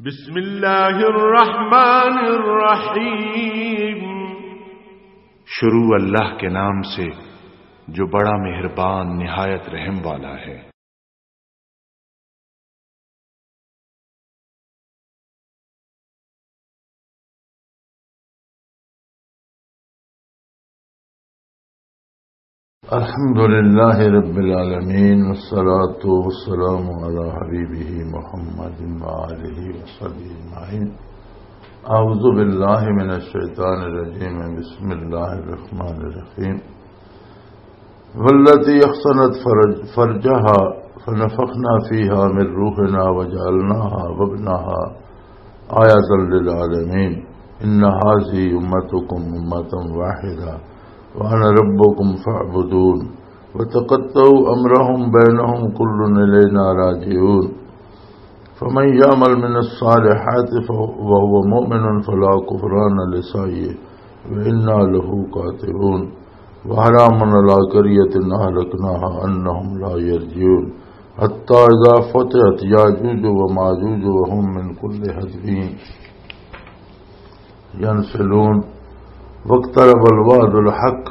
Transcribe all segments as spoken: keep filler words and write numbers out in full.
بسم اللہ الرحمن الرحیم۔ شروع اللہ کے نام سے، جو بڑا مہربان، نہایت رحم والا ہے۔ الحمد لله رب العالمين، والصلاة والسلام على حبيبه محمد وآله وصحبه أجمعين. أعوذ بالله من الشيطان الرجيم. بسم الله الرحمن الرحيم. والتي أحصنت فرج-، فرجها فنفخنا فيها من روحنا وجعلناها وابنها آية للعالمين. إن هذه أمتكم أمة واحدة وأنا ربكم فاعبدون. وتقطعوا أمرهم بينهم كل إلينا راجعون. فمن يعمل من الصالحات فهو، وهو مؤمن فلا كفران لسعيه وإنا له كاتبون. وحرام على قرية أهلكناها أنهم لا يرجعون. حتى إذا فتحت يأجوج ومأجوج وهم من كل حدب ينسلون. واقترب الوعد الحق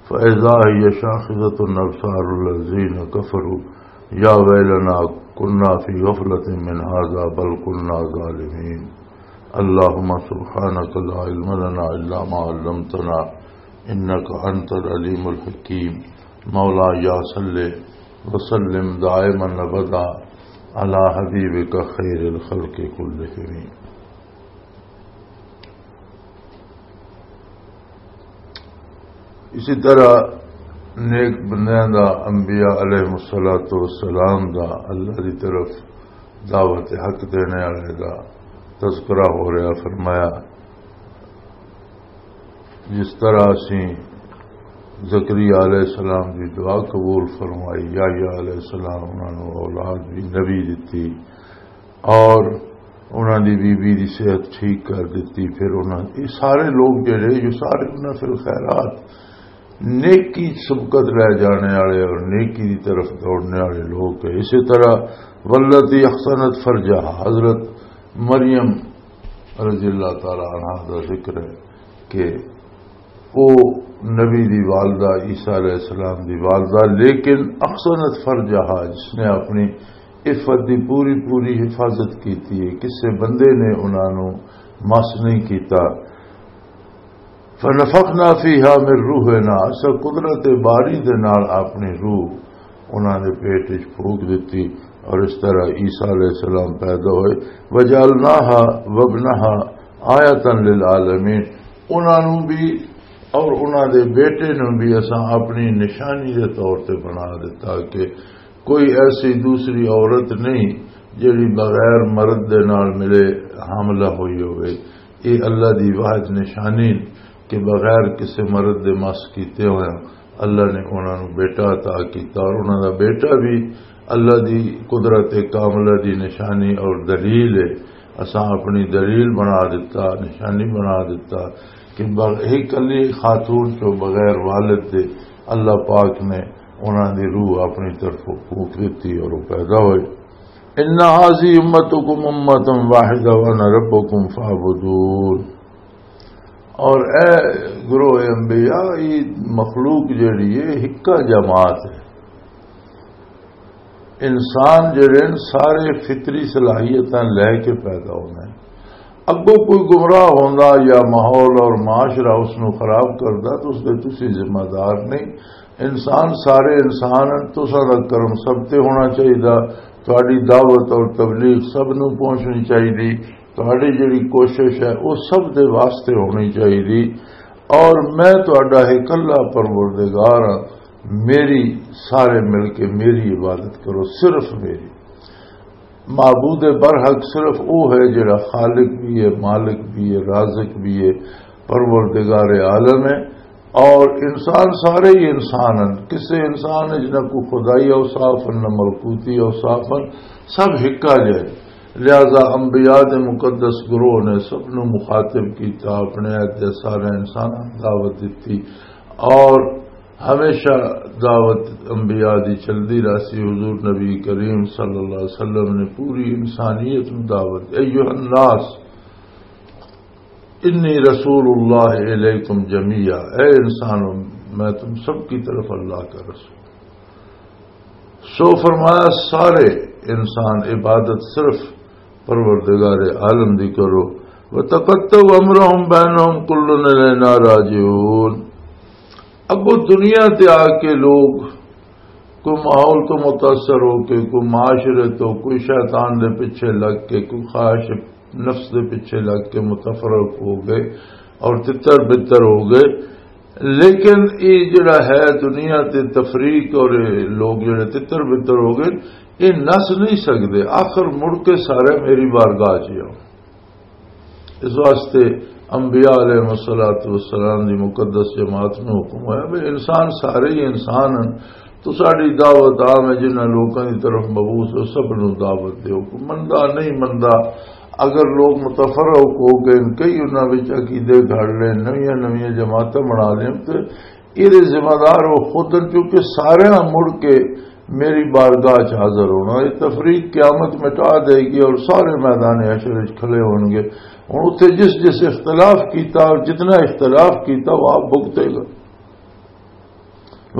فإذا هي شاخصة أبصار الذين كفروا يا ويلنا كنا في غفلة من هذا بل كنا ظالمين. اللهم سبحانك لا علم لنا إلا ما علمتنا إنك أنت العليم الحكيم. مولاي صل وسلم دائما أبدا على حبيبك خير الخلق كلهم. اسی طرح نیک بندیاں دا، انبیاء علیہ الصلوۃ والسلام دا، اللہ دی طرف دعوت حق دینے والے دا تذکرہ ہو رہا۔ فرمایا، جس طرح اسی زکریا علیہ السلام دی دعا قبول فرمائی، یحییٰ علیہ السلام انہاں نوں اولاد بھی نبی دتی، اور انہاں دی بی بی دی صحت ٹھیک کر دتی۔ پھر انہاں، یہ سارے لوگ جڑے، یہ سارے انہاں فی الخیرات، نیکی سبقت لے جانے والے اور نیکی دی طرف دوڑنے والے لوگ ہیں۔ اسی طرح والتی احصنت فرجہا، حضرت مریم رضی اللہ تعالی عنہا دا ذکر ہے کہ او نبی دی والدہ، عیسیٰ علیہ السلام دی والدہ، لیکن احصنت فرجہا، جس نے اپنی عفت دی پوری پوری حفاظت کیتی ہے، کسے بندے نے انہاں نوں مس نہیں کیتا۔ فنفخنا فیہا من روحنا، اسا قدرت باری دے نال اپنی روح انہاں دے پیٹ وچ پھونک دتی اور اس طرح عیسیٰ علیہ السلام پیدا ہوئے۔ وجعلناها وابنها آیة للعالمین، انہاں نوں بھی اور انہاں دے بیٹے نوں بھی اساں اپنی نشانی دے طور تے بنا دتا کہ کوئی ایسی دوسری عورت نہیں جڑی بغیر مرد دے نال ملے حاملہ ہوئی ہوئے۔ یہ اللہ دی واحد نشانی کہ بغیر کسی مرد دے مس کیتے ہوئے اللہ نے انہاں نوں بیٹا عطا کیتا، اور انہاں دا بیٹا بھی اللہ دی قدرت کاملہ دی نشانی اور دلیل ہے۔ اساں اپنی دلیل بنا دتا، نشانی بنا دتا کہ بغ-، ایک کلی خاتون چوں بغیر والد دے اللہ پاک نے انہاں دی روح اپنی طرفوں پھونک دتی اور وہ پیدا ہوئے۔ ان هذه امتكم امة واحدة وانا ربكم فاعبدون۔ اور اے گروہ انبیاء، یہ مخلوق جڑی ہے، ہکا جماعت ہے۔ انسان جڑے ہیں، سارے فطری صلاحیتاں لے کے پیدا ہوندے ہیں۔ اگوں کوئی گمراہ ہوندا یا ماحول اور معاشرہ اس نو خراب کردا تو اس دے تسی ذمہ دار نہیں۔ انسان سارے انسان ہیں، تساں دا کرم سب تے ہونا چاہیدا، تہاڈی دعوت اور تبلیغ سب نو پہنچنی چاہیدی، تہاڈی جڑی کوشش ہے وہ سب دے واسطے ہونی چاہیدی۔ اور میں تہاڈا اکلا پروردگار ہاں، میری سارے مل کے میری عبادت کرو، صرف میری۔ معبود برحق صرف وہ ہے جڑا خالق بھی ہے، مالک بھی ہے، رازق بھی ہے، پروردگار عالم ہے۔ اور انسان سارے ہی انسان ہیں، کسے انسان وچ نہ کوئی خدائی اوصاف ہیں، نہ ملکوتی اوصاف ہیں، سب ہکا جائے۔ لہذا انبیاء دے مقدس گروہ نے سب نو مخاطب کیتا، اپنے عہد دے سارے انسان دعوت دیتی۔ اور ہمیشہ دعوت انبیاء دی چلدی رہسی۔ حضور نبی کریم صلی اللہ علیہ وسلم نے پوری انسانیت نوں دعوت، ایھا الناس انی رسول اللہ الیکم جمیعا، اے انسانوں، میں تم سب کی طرف اللہ کا رسول۔ سو فرمایا، سارے انسان عبادت صرف پروردگار عالم دی کرو۔ وتقطعوا امرهم بينهم كل الينا راجعون۔ اب وہ دنیا تے آ کے لوگ کوئی ماحول تو متاثر ہو کے، کوئی معاشرے تو، کوئی شیطان دے پیچھے لگ کے، کوئی خواہش نفس دے پیچھے لگ کے متفرق ہو گئے اور تتر بتر ہو گئے۔ لیکن یہ جڑا ہے دنیا تے تفریق اور یہ لوگ جڑے تتر بتر ہو گئے، یہ نس نہیں سکتے۔ آخر مڑ کے سارے میری بارگاہ چ آؤ۔ اس واسطے انبیاء علیہ الصلوۃ والسلام دی مقدس جماعت نوں حکم ہویا بھی انسان سارے ہی انسان ہیں، تو ساڈی دعوت عام ہے، جنہاں لوکاں دی طرف مبعوث ہو، سب نوں دعوت دیو۔ کوئی مندا نہیں مندا، اگر لوگ متفرق ہو گئے، کئی انہاں وچ عقیدے گھڑ لے، نویاں نویاں جماعتاں بنا لین، تے ایہدے ذمہ دار وہ خود ہیں، کیونکہ سارے مڑ کے میری بارگاہ چ حاضر ہونا۔ یہ تفریق قیامت مٹا دے گی اور سارے میدان حشر وچ کھلے ہون گے۔ ہن اتھے جس جس اختلاف کیتا اور جتنا اختلاف کیتا، وہ آپ بھگتے گا۔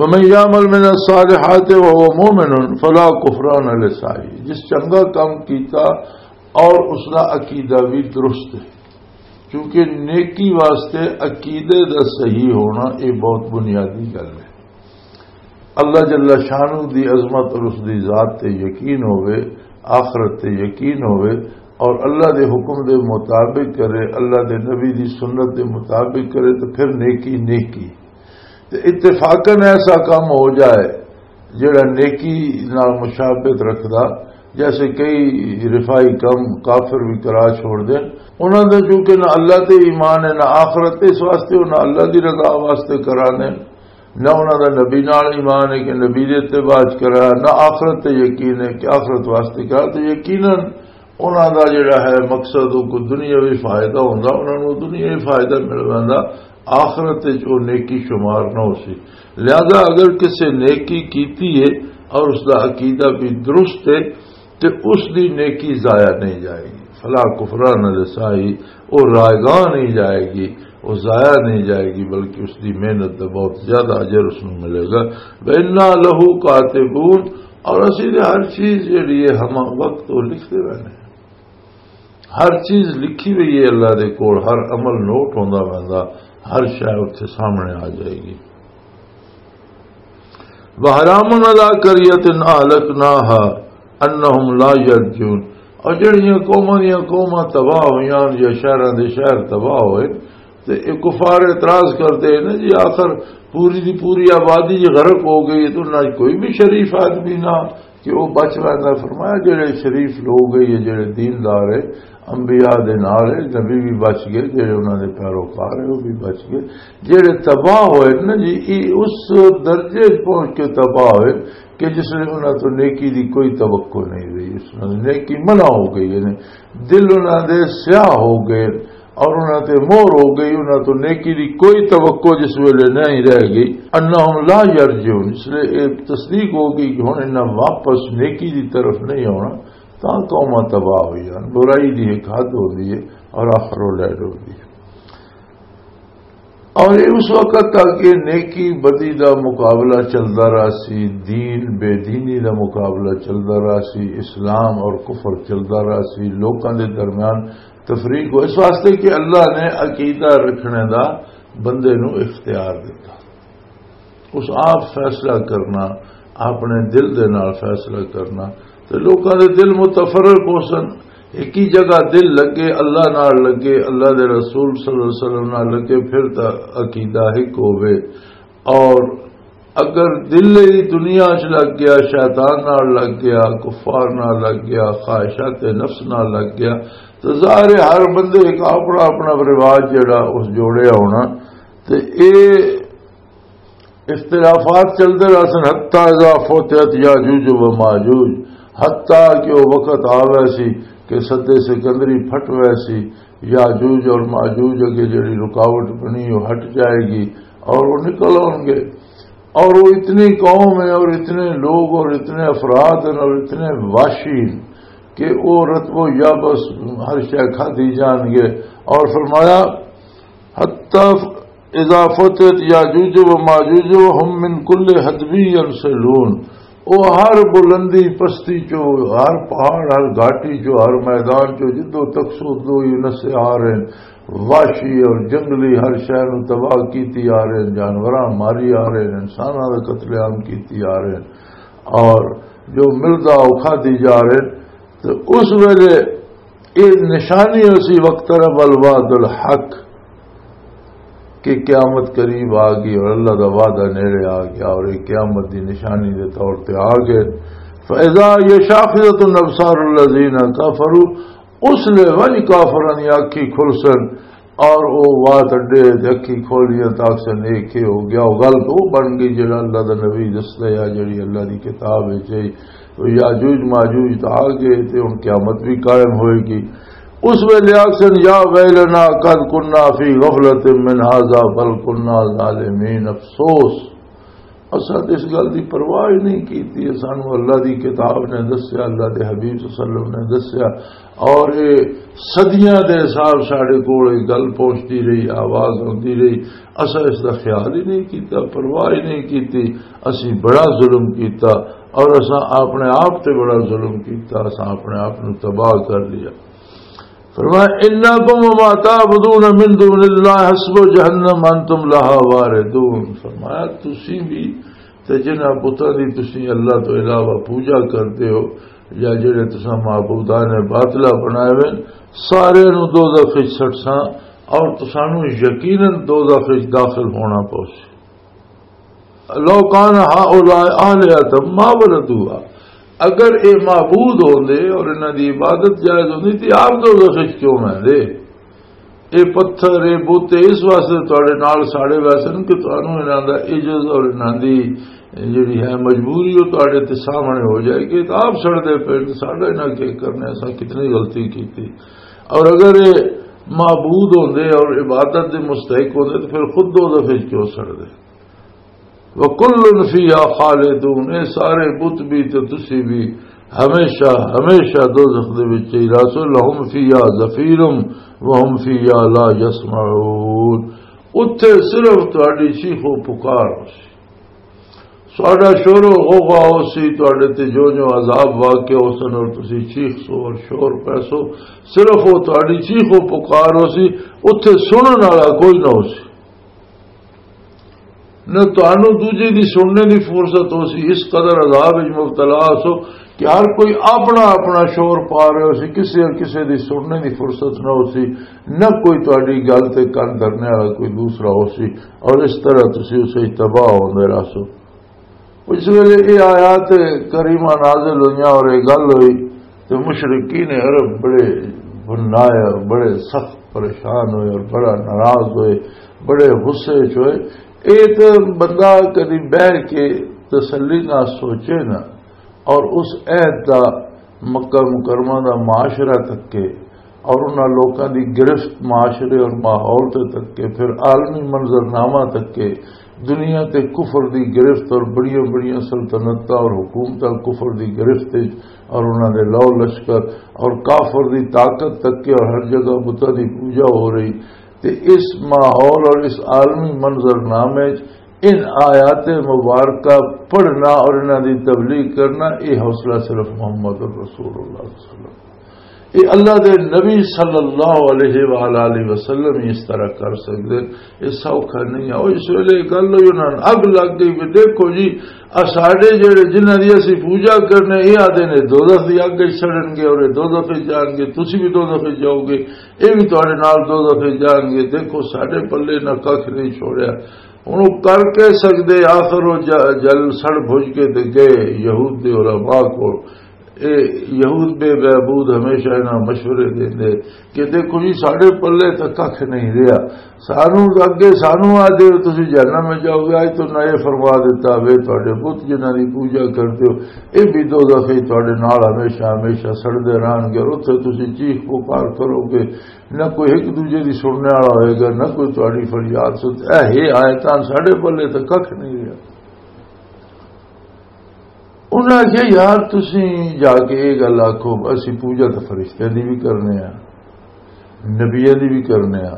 وَمَن يَعْمَلْ مِنَ الصَّالِحَاتِ وَهُوَ مُؤْمِنٌ فَلَا كُفْرَانَ لِسَعْيِهِ۔ جس چنگا کام کیتا اور اس دا عقیدہ بھی درست ہے، کیونکہ نیکی واسطے عقیدے دا صحیح ہونا یہ بہت بنیادی گل ہے۔ اللہ جل شانہ دی عظمت اور اس دی ذات تے یقین ہوئے، آخرت تے یقین ہوئے اور اللہ دے حکم دے مطابق کرے، اللہ دے نبی دی سنت دے مطابق کرے، تو پھر نیکی نیکی۔ تے اتفاقاً ایسا کام ہو جائے جڑا نیکی نال مشابہت رکھدا، جیسے کئی رفائی کم کافر بھی کرا چھوڑ دین۔ انہاں دا چونکہ نہ اللہ تے ایمان ہے، نہ آخرت، اس واسطے انہاں اللہ دی رضا واسطے کرانے، نہ انہاں دا نبی نال ایمان ہے کہ نبی دے اتباع چ کرا، نہ آخرت تے یقین ہے کہ آخرت واسطے کرا۔ تے یقیناً انہاں دا جڑا ہے مقصد، وہ کوئی دنیاوی فائدہ ہوندا، انہاں نوں دنیاوی فائدہ مل ویندا، آخرت وچ وہ نیکی شمار نہ ہو سی۔ لہذا اگر کسے نیکی کیتی ہے اور اس دا عقیدہ بھی درست ہے، تے اس دی نیکی ضائع نہیں جائے گی۔ فلا کفران لسائی، وہ رائگاں نہیں جائے گی، وہ ضائع نہیں جائے گی، بلکہ اس دی محنت دا بہت زیادہ اجر اس نوں ملے گا۔ وَإِنَّا لَهُ كَاتِبُونَ، اور اسی دے ہر چیز جڑی ہے ہم وقت وہ لکھتے رہنے ہیں۔ ہر چیز لکھی ہوئی ہے اللہ دے کول، ہر عمل نوٹ ہوندا ویندا، ہر شے اتھے سامنے آ جائے گی۔ وحرام علی قریۃ اہلکناہا انہم لا یرجعون، اور جڑیاں قوماں دیاں قوماں تباہ ہویاں یا شہراں دے شہر تباہ ہوئے، تے اے کفار اعتراض کردے نے جی، آخر پوری دی پوری آبادی جی غرق ہو گئی، تو نہ کوئی بھی شریف آدمی نہ کہ وہ بچ ویندا۔ فرمایا جڑے شریف لوگ ہے یا جڑے دیندار ہے، انبیاء دے نال ہے، نبی بھی بچ گئے، جڑے انہاں دے پیروکار ہے وہ بھی بچ گئے۔ جڑے تباہ ہوئے نا جی، یہ اس درجے پہنچ کے تباہ ہوئے کہ جس نے انہاں تو نیکی دی کوئی توقع نہیں رہی، اس نے نیکی منع ہو گئی، یعنی دل انہاں دے سیاہ ہو گئے۔ اور انہاں تے مہر ہو گئی، انہاں تو نیکی دی کوئی توقع جس ویلے نہیں رہ گئی۔ انہم لا یرجعون، اس لیے یہ تصدیق ہو گئی کہ ہن انہاں واپس نیکی دی طرف نہیں آنا، تاں قوماں تباہ ہوئی جان۔ برائی دی ایک حد ہوندی ہے اور آخر وہ لہر ہوندی ہے۔ اور یہ اس وقت تک یہ نیکی بدی دا مقابلہ چلدا رہا سی، دین بے دینی دا مقابلہ چلدا رہا سی، اسلام اور کفر چلدا رہا سی، لوکاں دے درمیان تفریق ہو، اس واسطے کہ اللہ نے عقیدہ رکھنے دا بندے نو اختیار دیتا۔ اس آپ فیصلہ کرنا، اپنے دل دے نال فیصلہ کرنا، تے لوکاں دے دل متفرق ہو سن، ایک ہی جگہ دل لگے، اللہ نال لگے، اللہ دے رسول صلی اللہ علیہ وسلم نال لگے، پھر تا عقیدہ ایک ہوے۔ اور اگر دل ہی دنیا چ لگ گیا، شیطان نال لگ گیا، کفار نال لگ گیا، خواہشات نفس نال لگ گیا، تو ظاہر ہے ہر بندے ایک اپنا اپنا رواج جڑا اس جوڑیا ہونا۔ تے اے اختلافات چلدے رہسن، حتی اذا فتحت یاجوج و ماجوج، حتی کہ وہ وقت آوے سی کہ سدے سکندری پھٹ وے سی، یاجوج اور ماجوج اگے جڑی رکاوٹ بنی وہ ہٹ جائے گی اور وہ نکل آؤ گے۔ اور وہ اتنی قوم ہے اور اتنے لوگ اور اتنے افراد ہیں اور اتنے وحشی ہیں کہ وہ رتب و یابس ہر شے کھادی جان گے۔ اور فرمایا، حتی اذا فتحت یاجوج و ماجوج و ہم من کل حدب ینسلون، وہ ہر بلندی پستی چو، ہر پہاڑ، ہر گھاٹی چو، ہر میدان چو، جدو تک سو دو ہی نسے آ رہے ہیں، وحشی اور جنگلی ہر شے نو تباہ کیتی آ رہے ہیں، جانوراں ماری آ رہے ہیں، انساناں دا قتل عام کیتی آ رہے ہیں، اور جو ملدا او کھادی جا رہے ہیں۔ تو اس ویلے یہ نشانی اسی وقت رب الوعد الحق کہ قیامت قریب آ گئی اور اللہ دا وعدہ نیڑے آ گیا اور یہ قیامت دی نشانی دے طور تے آ گئے۔ فَإِذَا هِيَ شَاخِصَةٌ أَبْصَارُ الَّذِينَ كَفَرُوا، اس لے ونج کافراں دی اکھی کھلسن اور او وات اڈے تے اکھی کھولیاں تاکسن، یہ کی ہو گیا، وہ گل تو بن گئی جڑا اللہ دا نبی دسدا ہے، جڑی اللہ دی کتاب ہے چاہی۔ تو یاجوج ماجوج تو آ گئے تے ہن قیامت بھی قائم ہوئے گی۔ اس ویلے آکسن، یا ویلنا قد کنا فی غفلۃ من ھذا بل کنا ظالمین، افسوس، اساں تے اس گل دی پرواہ ہی نہیں کیتی۔ سانو اللہ دی کتاب نے دسیا، اللہ دے حبیب صلی اللہ علیہ وسلم نے دسیا، اور یہ صدیاں دے حساب ساڈے کول یہ گل پہنچتی رہی، آواز آتی رہی، اساں اس دا خیال ہی نہیں کیتا، پرواہ ہی نہیں کیتی۔ اسی بڑا ظلم کیتا اور اساں اپنے آپ تے بڑا ظلم کیتا، اساں اپنے آپ نو تباہ کر لیا۔ فرمایا، انکم وما تعبدون من دون اللہ حصب جہنم انتم لہا واردون۔ فرمایا، تسی بھی تے جنہاں بتاں دی تسی اللہ تو علاوہ پوجا کردے ہو، یا جڑے تساں معبودان باطلہ بنائے ہوئے، سارے نو دوزخ وچ سٹساں، اور تسانو یقیناً دوزخ وچ داخل ہونا پوسی۔ لو کان ہؤلاء آلہۃ ما وردوہا، اگر اے معبود ہوندے اور انہاں دی عبادت جائز ہوندی تے آپ دوزخ وچ کیوں ویندے؟ اے پتھر، اے بت اس واسطے تواڈے نال ساڑے ویسن کہ تانوں انہاں دا عجز اور انہاں دی جڑی ہے مجبوری، وہ تواڈے تے سامنے ہو جائے کہ آپ سڑدے پے، ساڈا انہاں کی کرنے، اساں کتنی غلطی کیتی۔ اور اگر اے معبود ہوندے اور عبادت دے مستحق ہوندے تو پھر خود دوزخ وچ کیوں سڑدے؟ وَكُلٌّ فِيهَا خَالِدُونَ، اے سارے بت بھی تے تسی بھی ہمیشہ، ہمیشہ دوزخ دے وچ ہی رہسو۔ لَهُمْ فِيهَا زَفِيرٌ وَهُمْ فِيهَا لَا يَسْمَعُونَ۔ اتھے صرف تہاڈی چیخ و پکار ہوسی، ساڈا شور و غوغا ہوسی، تہاڈے تے جو جو عذاب واقع ہوسن اور تسی چیخ سو اور شور پیسو، صرف وہ تہاڈی چیخ و پکار ہوسی، اتھے سنن والا کوئی نہ ہوسی۔ نہ تانوں دوجے دی سننے دی فرصت ہو سی، اس قدر عذاب وچ مبتلا ہو سو کہ ہر کوئی اپنا اپنا شور پا رہے ہو سی، کسے اور کسے دی سننے دی فرصت نہ ہو سی، نہ کوئی تہاڈی گل تے کن دھرنے والا کوئی دوسرا ہو سی، اور اس طرح تسی اسے تباہ ہوندے رہ سو۔ اس ویلے یہ آیات کریمہ نازل ہوئیاں اور یہ گل ہوئی، تو مشرکین عرب بڑے بنائے اور بڑے سخت پریشان ہوئے اور بڑا ناراض ہوئے، بڑے غصے چ ہوئے۔ یہ تو بندہ کدی بہہ کے تسلی نہ سوچے نا، اور اس عہد دا، مکہ مکرمہ دا معاشرہ تکے، اور انہاں لوکاں دی گرفت، معاشرے اور ماحول تے تکے، پھر عالمی منظرنامہ تکے، دنیا تے کفر دی گرفت اور بڑیاں بڑیاں سلطنتاں اور حکومتاں کفر دی گرفت وچ اور انہاں دے لو لشکر اور کافر دی طاقت تکے اور ہر جگہ بتاں دی پوجا ہو رہی۔ تے اس ماحول اور اس عالمی منظرنامے وچ ان آیات مبارکہ پڑھنا اور انہاں دی تبلیغ کرنا، یہ حوصلہ صرف محمد الرسول اللہ صلی اللہ علیہ وسلم، یہ اللہ دے نبی صلی اللہ علیہ وآلہ وسلم ہی اس طرح کر سکتے۔ یہ سوکھا نہیں ہے۔ اور اس ویلے یہ گل ہوئی، انہاں نوں اگ لگ گئی کہ دیکھو جی، آ ساڈے جڑے، جنہاں دی اسی پوجا کرنے، یہ آدھے نے دوزخ دی اگ وچ سڑن گے اور یہ دوزخ وچ جان گے، تسی بھی دوزخ وچ جاؤ گے، یہ بھی تہاڈے نال دوزخ وچ جان گے۔ دیکھو ساڈے پلے نہ ککھ نہیں چھوڑیا۔ ہن او کر کے سکدے، آخر او ج-، جل سڑ بھج کے تے گئے یہود دے علماء کول۔ اے یہود بے بہبود ہمیشہ انہاں مشورے دیندے کہ دیکھو جی، ساڈے پلے تاں ککھ نہیں رہیا، سانو اگے سانو آ دے تسی جہنم میں جاؤ گے، اج تو نہ یہ فرما دیتا وے تہاڈے بت جنہاں دی پوجا کردے ہو، اے بھی دوزخ وچ تہاڈے نال ہمیشہ ہمیشہ سڑدے رہن گے، اور اتھے تسی چیخ پکار کرو گے، نہ کوئی ایک دوجے دی سننے والا ہوئے گا، نہ کوئی تہاڈی فریاد سن۔ اے ہے آیتاں ساڈے پلے تاں ککھ نہیں رہیا۔ انہاں آخیا، "یار، تسی جا کے یہ گل آکھو، اسی پوجا تو فرشتیاں دی بھی کرنے آ، نبیاں دی بھی کرنے آ،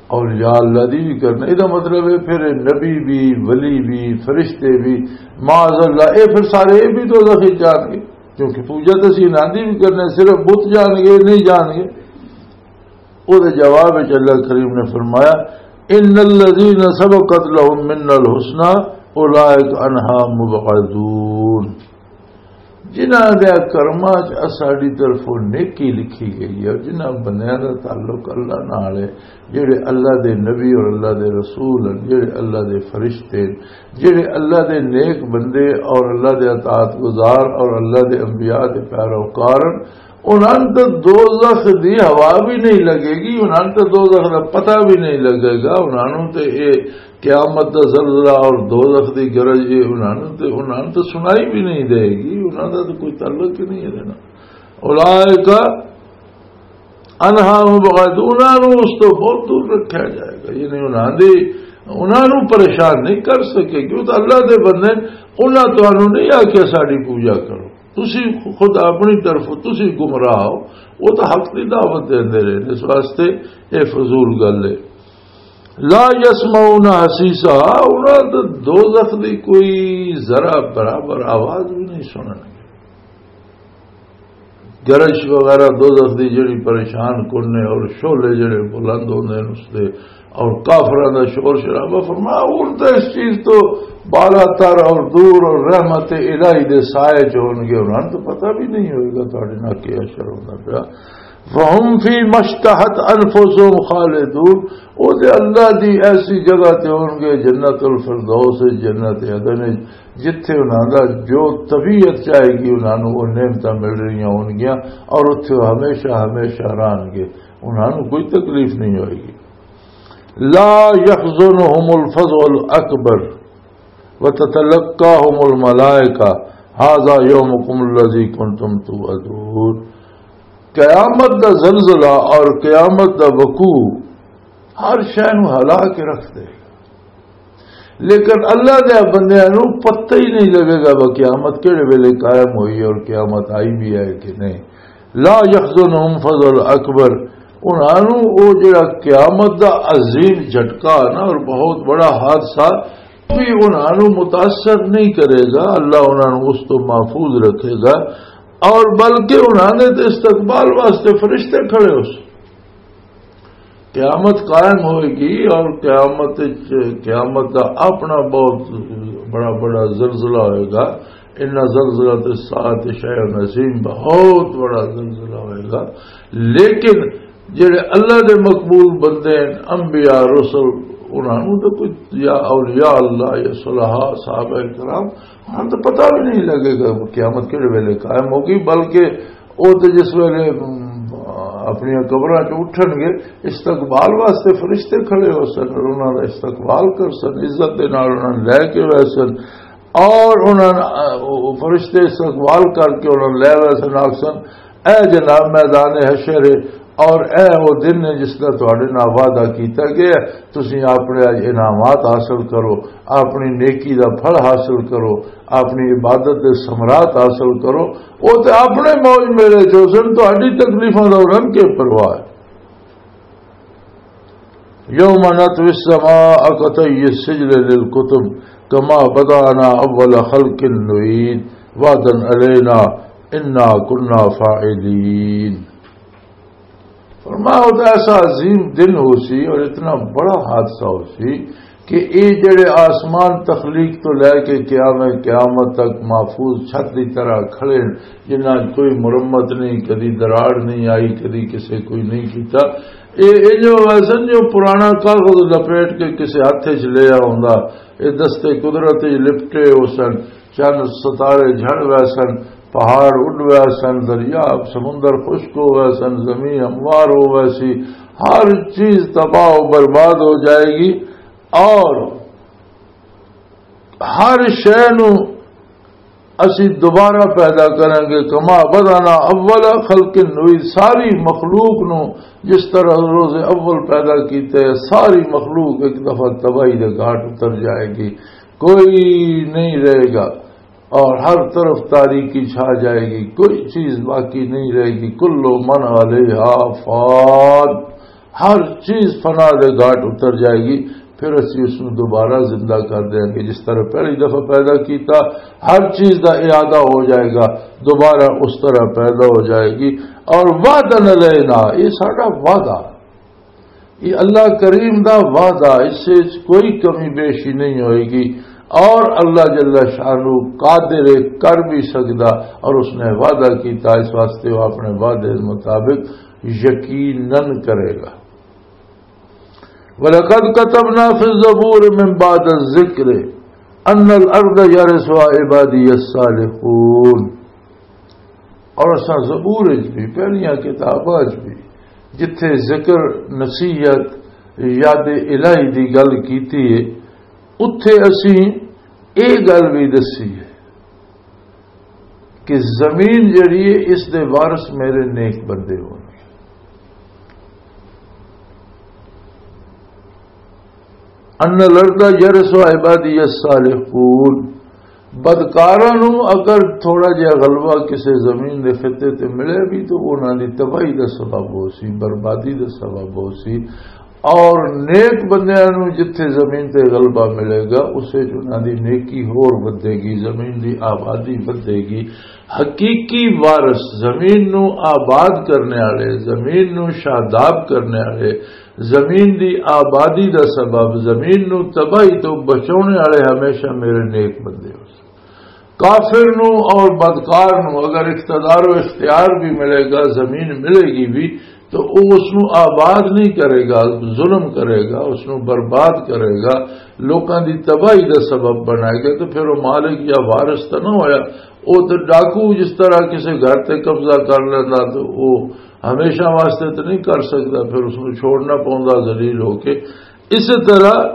اور یا اللہ دی بھی کرنے۔" یہ مطلب ہے، پھر نبی بھی، ولی بھی، فرشتے بھی، معاذ اللہ، یہ پھر سارے یہ بھی دوزخ وچ جان گے، کیونکہ پوجا تو اسی انہاں دی بھی کرنے، صرف بت جان گے، نہیں جان گے۔ وہ جواب وچ اللہ کریم نے فرمایا، "ان الذین سبقت لهم منا الحسنی اولئک عنہا مبعدون۔" جنہاں دے کرماں چ اساڈی طرفوں نیکی لکھی گئی ہے، جنہاں بندیاں دا تعلق اللہ نال ہے، جڑے اللہ دے نبی اور اللہ دے رسول ہیں، جڑے اللہ دے فرشتے ہیں، جڑے اللہ دے نیک بندے اور اللہ دے اطاعت گزار اور اللہ دے انبیاء دے پیروکار ہیں، انہاں نوں تے دوزخ دی ہوا بھی نہیں لگے گی، انہاں نوں تے دوزخ دا پتہ بھی نہیں لگے گا، انہاں نوں تے اے قیامت دا زلزلہ اور دوزخ دی گرج، اے انہاں نوں تے، انہاں نوں تے سنائی بھی نہیں دے گی، انہاں دا تے کوئی تعلق ہی نہیں ہے نا۔ اولئک عنہا مبعدون، انہاں نوں اس تو بہت دور رکھا جائے گا، یعنی انہاں دی، انہاں نوں پریشان نہیں کر سکے، کیوں تو اللہ دے بندے، انہاں تانوں نہیں آکھیا ساڈی پوجا کرو۔ تسی خود اپنی طرف تسی گمراہ ہو، وہ تو حق دی دعوت دیندے رہے، اس واسطے اے فضول گل ہے۔ لا یسمعون حسیسا، انہاں تے دوزخ دی کوئی ذرا برابر آواز بھی نہیں سنن گے۔ گرج وغیرہ دوزخ دی جڑی پریشان کن نے اور شعلے جڑے بلند ہوندے نے اس دے، اور کافراں دا شور شرابہ، فرمایا، ہن تے اس چیز تو بالا تر اور دور اور رحمت الہی دے سائے چ ہون گے، انہاں نوں تو پتہ بھی نہیں ہوئے گا تہاڈے نال کیا شر ہوندا پیا۔ فَهُمْ فِي مَا اشْتَهَتْ أَنْفُسُهُمْ خَالِدُونَ، او تے اللہ دی ایسی جگہ تے ہون گے، جنت الفردوس، جنت عدن، جتھے انہاں دا جو طبیعت چاہے گی، انہاں نوں او نعمتاں مل رہیاں ہون گیاں، اور اتھے او ہمیشہ ہمیشہ رہن گے، انہاں نوں کوئی تکلیف نہیں ہوئے گی۔ لا يحزنهم الفزع الأكبر وتتلقاهم الملائكة هذا يومكم الذي كنتم توعدون۔ قیامت دا زلزلہ اور قیامت دا وقوع ہر شے نوں ہلا کے رکھ دے گا، لیکن اللہ دے بندیاں نوں پتہ ہی نہیں لگے گا وہ قیامت کہڑے ویلے قائم ہوئی اور قیامت آئی بھی ہے کہ نہیں۔ لا يحزنهم الفزع الأكبر، انہاں نوں او جڑا قیامت دا عظیم جھٹکا نا اور بہت بڑا حادثہ بھی انہاں نوں متاثر نہیں کرے گا، اللہ انہاں نوں اس تو محفوظ رکھے گا، اور بلکہ انہاں دے تے استقبال واسطے فرشتے کھڑے ہو سن۔ قیامت قائم ہوئے گی اور قیامت وچ، قیامت دا اپنا بہت بڑا بڑا زلزلہ ہوئے گا۔ ان زلزلہ تے ساعت شیء عظیم، بہت بڑا زلزلہ ہوئے گا۔ لیکن جڑے اللہ دے مقبول بندے ہیں، انبیاء، رسل، انہاں نوں تو کوئی، یا اولیاء اللہ، یا صلحاء، صحابہ کرام، انہاں تو پتہ بھی نہیں لگے گا قیامت کہڑے ویلے قائم ہوگی، بلکہ او تے جس ویلے، ام، اپنی قبراں چ اٹھن گے، استقبال واسطے فرشتے کھڑے ہو سن اور انہاں دا استقبال کر سن، عزت دے نال انہاں نوں لے کے وے سن، اور انہاں نوں، او فرشتے استقبال کر کے انہاں نوں لے وے سن، آکھ سن، "اے جناب میدان حشر ہے، اور اے او دن ہے جس دا تہاڈے نال وعدہ کیتا گیا ہے، تسی اپنے اج انعامات حاصل کرو، اپنی نیکی دا پھل حاصل کرو، اپنی عبادت دے ثمرات حاصل کرو۔" او تے اپنے موج میلے چ ہو سن، تہاڈی تکلیفاں دا انہاں نوں کی پرواہ ہے؟ یوم نطوی السماء کطی السجل للکتب کما بدأنا اول خلق نعید وعدا علینا انا کنا فاعلین۔ فرمایا، وہ تو ایسا عظیم دن ہو سی اور اتنا بڑا حادثہ ہو سی کہ اے جڑے آسمان تخلیق تو لے کے قیام قیامت تک محفوظ چھت دی طرح کھڑے ہیں، جنہاں کوئی مرمت نہیں، کدی دراڑ نہیں آئی، کدی کسے کوئی نہیں کیتا۔ اے انجو ویسن جو پرانا کاغذ لپیٹ کے کسے ہاتھ وچ لیا ہوندا۔ اے دستے قدرت وچ لپٹے ہو سن۔ چند ستارے جھڑ ویسن، پہاڑ اڈ ویسن، دریا سمندر خشک ہو ویسن، زمین ہموار ہو ویسی، ہر چیز تباہ و برباد ہو جائے گی۔ اور ہر شے نو اسی دوبارہ پیدا کریں گے۔ کما بدانا اول خلق نعید، ساری مخلوق نو جس طرح روز اول پیدا کیتے، ساری مخلوق ایک دفعہ تباہی دے گھاٹ اتر جائے گی، کوئی نہیں رہے گا۔ اور ہر طرف تاریکی چھا جائے گی، کوئی چیز باقی نہیں رہے گی۔ کل من علیہا فان، ہر چیز فنا دے گھاٹ اتر جائے گی۔ پھر اسی اس نوں دوبارہ زندہ کر دیں گے، جس طرح پہلی دفعہ پیدا کیتا، ہر چیز دا اعادہ ہو جائے گا، دوبارہ اس طرح پیدا ہو جائے گی۔ اور وعدن علینا، یہ ساڈا وعدہ، یہ اللہ کریم دا وعدہ، اس سے کوئی کمی بیشی نہیں ہوئے گی۔ اور اللہ جل شانہ قادر ہے، کر بھی سکدا، اور اس نے وعدہ کیتا، اس واسطے وہ اپنے وعدے مطابق یقیناً کرے گا۔ وَلَقَدْ كَتَبْنَا فِي الزَّبُورِ مِن بَعْدِ الذِّكْرِ أَنَّ الْأَرْضَ يَرِثُهَا عِبَادِيَ الصَّالِحُونَ۔ اور اساں زبور وچ بھی، پہلیاں کتاباں وچ بھی، جتھے ذکر، نصیحت، یاد الہی دی گل کیتی ہے، اتھے اسی اے گل بھی دسی ہے کہ زمین جڑی ہے، اس دے وارث میرے نیک بندے ہون۔ ان الارض یرث عبادی الصالحون۔ بدکاراں نوں اگر تھوڑا جہا غلبہ کسے زمین دے خطے تے ملے بھی تو انہاں دی تباہی دا سبب ہو سی، بربادی دا سبب ہو سی۔ اور نیک بندیاں نوں جتھے زمین تے غلبہ ملے گا، اسے چ انہاں دی نیکی ہور ودے گی، زمین دی آبادی ودے گی۔ حقیقی وارث، زمین نوں آباد کرنے والے، زمین نوں شاداب کرنے والے، زمین دی آبادی دا سبب، زمین نوں تباہی تو بچانے والے ہمیشہ میرے نیک بندے ہو۔ کافر نوں اور بدکار نوں اگر اقتدار و اختیار بھی ملے گا، زمین ملے گی بھی، تو وہ اس نوں آباد نہیں کرے گا، ظلم کرے گا، اس نوں برباد کرے گا، لوکاں دی تباہی دا سبب بنائے گا، تو پھر وہ مالک یا وارث تو نہ ہویا۔ وہ تو ڈاکو جس طرح کسی گھر تے قبضہ کر لینا، تو وہ ہمیشہ واسطے تو نہیں کر سکتا، پھر اس نوں چھوڑنا پوندا ذلیل ہو کے۔ اسی طرح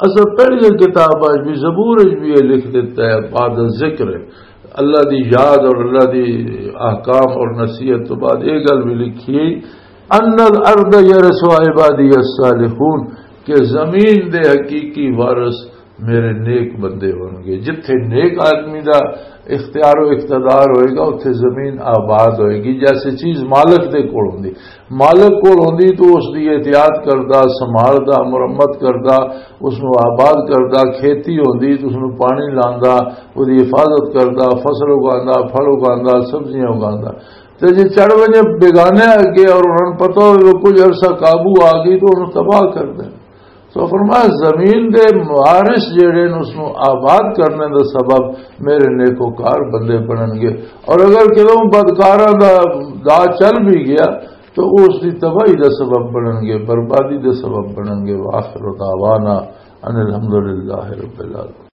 اساں پہلی کتاب اچ بھی، زبور اچ بھی یہ لکھ دیتا ہے، بعد ذکر ہے، اللہ دی یاد اور اللہ دی احکام اور نصیحت تو بعد یہ گل بھی لکھی ہے، ان الارض یرث عبادی الصالحون، کہ زمین دے حقیقی وارث میرے نیک بندے ہون گے۔ جتھے نیک آدمی دا اختیار و اقتدار ہوئے گا، اتھے زمین آباد ہوئے گی۔ جیسے چیز مالک دے کول ہوندی، مالک کول ہوندی تو اس دی احتیاط کردا، سنبھالدا، مرمت کردا، اس نوں آباد کردا، کھیتی ہوندی تو اس نوں پانی لاندا، اس دی حفاظت کردا، فصل اگاندا، پھل اگاندا، سبزیاں اگاندا۔ تے جے چڑھ ونجے بیگانے اگے اور انہاں نوں پتہ ہوئے وہ کچھ عرصہ قابو آ گئی تو انہوں تباہ کر دے۔ سو فرمایا، زمین دے وارث جڑے نے، اس نوں آباد کرنے دا سبب میرے نیکوکار بندے بنن گے۔ اور اگر کدوں بدکاراں دا دا چل بھی گیا تو وہ اس دی تباہی دا سبب بنن گے، بربادی دا سبب بنن گے۔ وآخر دعوانا ان الحمدللہ رب العالمین۔